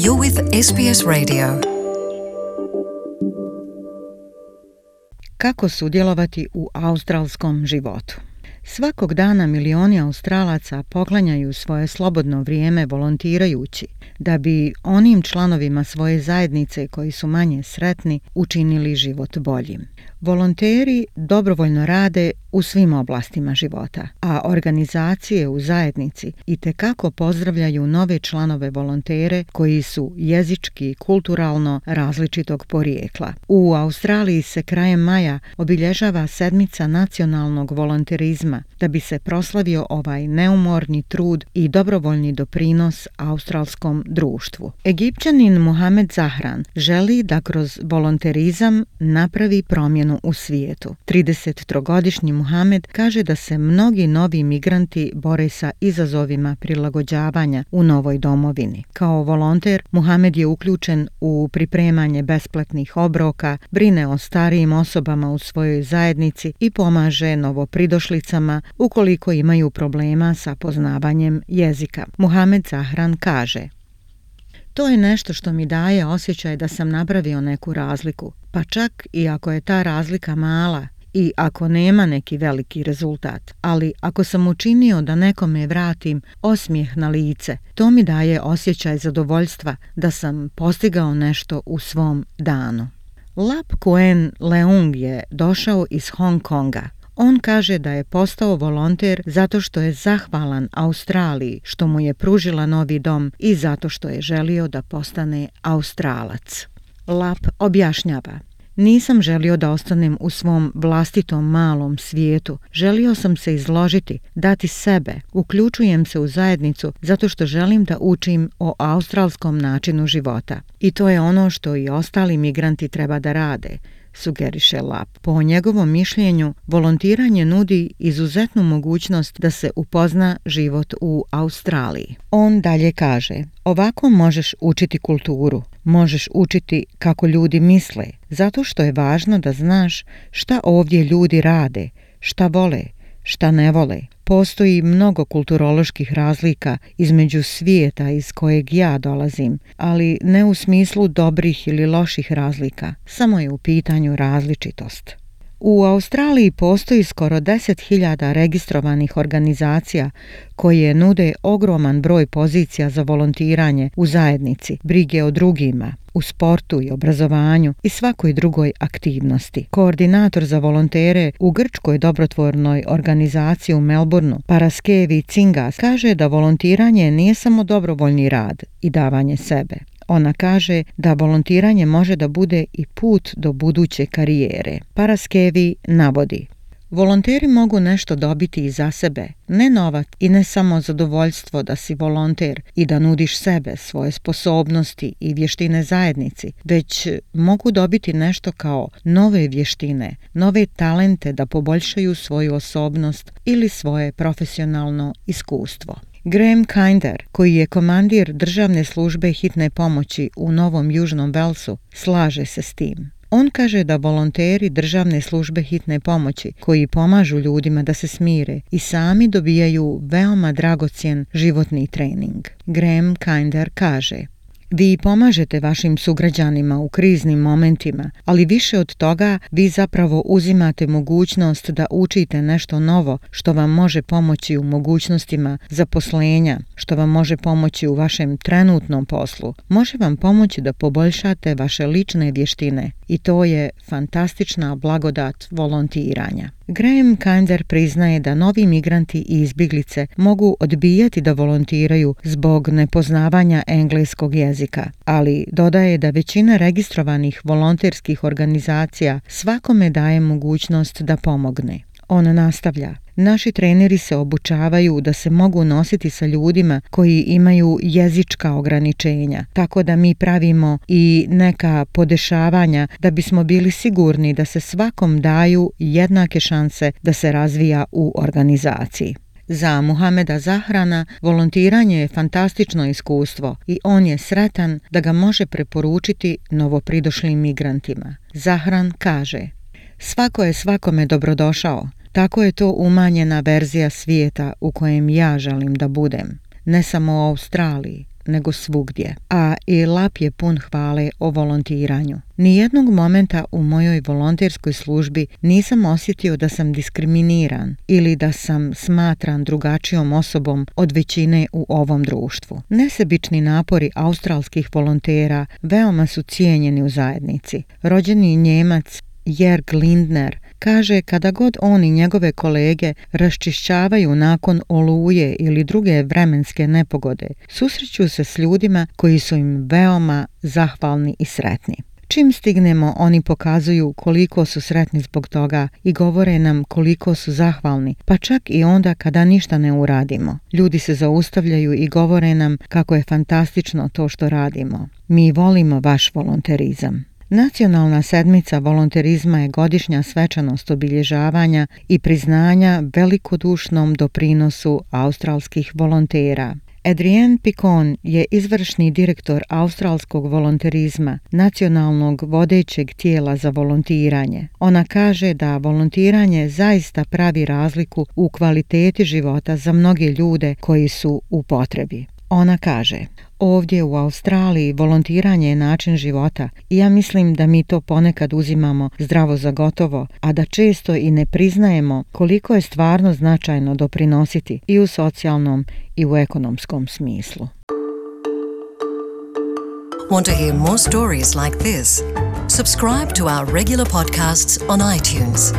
You're with SBS Radio. Kako sudjelovati u australskom životu? Svakog dana milioni Australaca poklanjaju svoje slobodno vrijeme volontirajući da bi onim članovima svoje zajednice koji su manje sretni učinili život boljim. Volonteri dobrovoljno rade u svim oblastima života, a organizacije u zajednici itekako pozdravljaju nove članove volontere koji su jezički i kulturalno različitog porijekla. U Australiji se krajem maja obilježava sedmica nacionalnog volonterizma da bi se proslavio ovaj neumorni trud i dobrovoljni doprinos australskom društvu. Egipćanin Mohamed Zahran želi da kroz volonterizam napravi promjenu u svijetu. 33-godišnji Mohamed kaže da se mnogi novi migranti bore sa izazovima prilagođavanja u novoj domovini. Kao volonter, Mohamed je uključen u pripremanje besplatnih obroka, brine o starijim osobama u svojoj zajednici i pomaže novopridošlicama ukoliko imaju problema sa poznavanjem jezika. Mohamed Zahran kaže: "To je nešto što mi daje osjećaj da sam napravio neku razliku, pa čak i ako je ta razlika mala i ako nema neki veliki rezultat. Ali ako sam učinio da nekome vratim osmijeh na lice, to mi daje osjećaj zadovoljstva da sam postigao nešto u svom danu." Lap Kuen Leung je došao iz Hong Konga. On kaže da je postao volonter zato što je zahvalan Australiji što mu je pružila novi dom i zato što je želio da postane Australac. Lap objašnjava: "Nisam želio da ostanem u svom vlastitom malom svijetu. Želio sam se izložiti, dati sebe. Uključujem se u zajednicu zato što želim da učim o australskom načinu života. I to je ono što i ostali migranti treba da rade", sugeriše Lap. Po njegovom mišljenju, volontiranje nudi izuzetnu mogućnost da se upozna život u Australiji. On dalje kaže: "Ovako možeš učiti kulturu, možeš učiti kako ljudi misle, zato što je važno da znaš šta ovdje ljudi rade, šta vole, šta ne vole. Postoji mnogo kulturoloških razlika između svijeta iz kojeg ja dolazim, ali ne u smislu dobrih ili loših razlika, samo je u pitanju različitost." U Australiji postoji skoro 10.000 registrovanih organizacija koje nude ogroman broj pozicija za volontiranje u zajednici, brige o drugima, u sportu i obrazovanju i svakoj drugoj aktivnosti. Koordinator za volontere u grčkoj dobrotvornoj organizaciji u Melbourneu, Paraskevi Cingas, kaže da volontiranje nije samo dobrovoljni rad i davanje sebe. Ona kaže da volontiranje može da bude i put do buduće karijere. Paraskevi navodi: "Volonteri mogu nešto dobiti i za sebe, ne novac i ne samo zadovoljstvo da si volonter i da nudiš sebe, svoje sposobnosti i vještine zajednici, već mogu dobiti nešto kao nove vještine, nove talente da poboljšaju svoju osobnost ili svoje profesionalno iskustvo." Graham Kinder, koji je komandir državne službe hitne pomoći u Novom Južnom Velsu, slaže se s tim. On kaže da volonteri državne službe hitne pomoći koji pomažu ljudima da se smire i sami dobijaju veoma dragocjen životni trening. Graham Kinder kaže: "Vi pomažete vašim sugrađanima u kriznim momentima, ali više od toga vi zapravo uzimate mogućnost da učite nešto novo što vam može pomoći u mogućnostima zaposlenja, što vam može pomoći u vašem trenutnom poslu, može vam pomoći da poboljšate vaše lične vještine i to je fantastična blagodat volontiranja." Graham Kinder priznaje da novi migranti i izbjeglice mogu odbijati da volontiraju zbog nepoznavanja engleskog jezika, ali dodaje da većina registrovanih volonterskih organizacija svakome daje mogućnost da pomogne. On nastavlja: "Naši treneri se obučavaju da se mogu nositi sa ljudima koji imaju jezička ograničenja, tako da mi pravimo i neka podešavanja da bismo bili sigurni da se svakom daju jednake šanse da se razvija u organizaciji." Za Mohameda Zahrana volontiranje je fantastično iskustvo i on je sretan da ga može preporučiti novopridošlim migrantima. Zahran kaže: "Svako je svakome dobrodošao. Tako je to umanjena verzija svijeta u kojem ja želim da budem. Ne samo u Australiji, nego svugdje, a i lap je pun hvale o volontiranju. Nijednog momenta u mojoj volonterskoj službi nisam osjetio da sam diskriminiran ili da sam smatran drugačijom osobom od većine u ovom društvu. Nesebični napori australskih volontera veoma su cijenjeni u zajednici. Rođeni Njemac Jörg Lindner kaže kada god on i njegove kolege raščišćavaju nakon oluje ili druge vremenske nepogode, susreću se s ljudima koji su im veoma zahvalni i sretni. Čim stignemo, oni pokazuju koliko su sretni zbog toga i govore nam koliko su zahvalni, pa čak i onda kada ništa ne uradimo. Ljudi se zaustavljaju i govore nam kako je fantastično to što radimo. Mi volimo vaš volonterizam. Nacionalna sedmica volonterizma je godišnja svečanost obilježavanja i priznanja velikodušnom doprinosu australskih volontera. Adrienne Picon je izvršni direktor australskog volonterizma, nacionalnog vodećeg tijela za volontiranje. Ona kaže da volontiranje zaista pravi razliku u kvaliteti života za mnoge ljude koji su u potrebi. Ona kaže: ovdje u Australiji volontiranje je način života i ja mislim da mi to ponekad uzimamo zdravo za gotovo, a da često i ne priznajemo koliko je stvarno značajno doprinositi i u socijalnom i u ekonomskom smislu. Want to hear more stories like this? Subscribe to our regular podcasts on iTunes.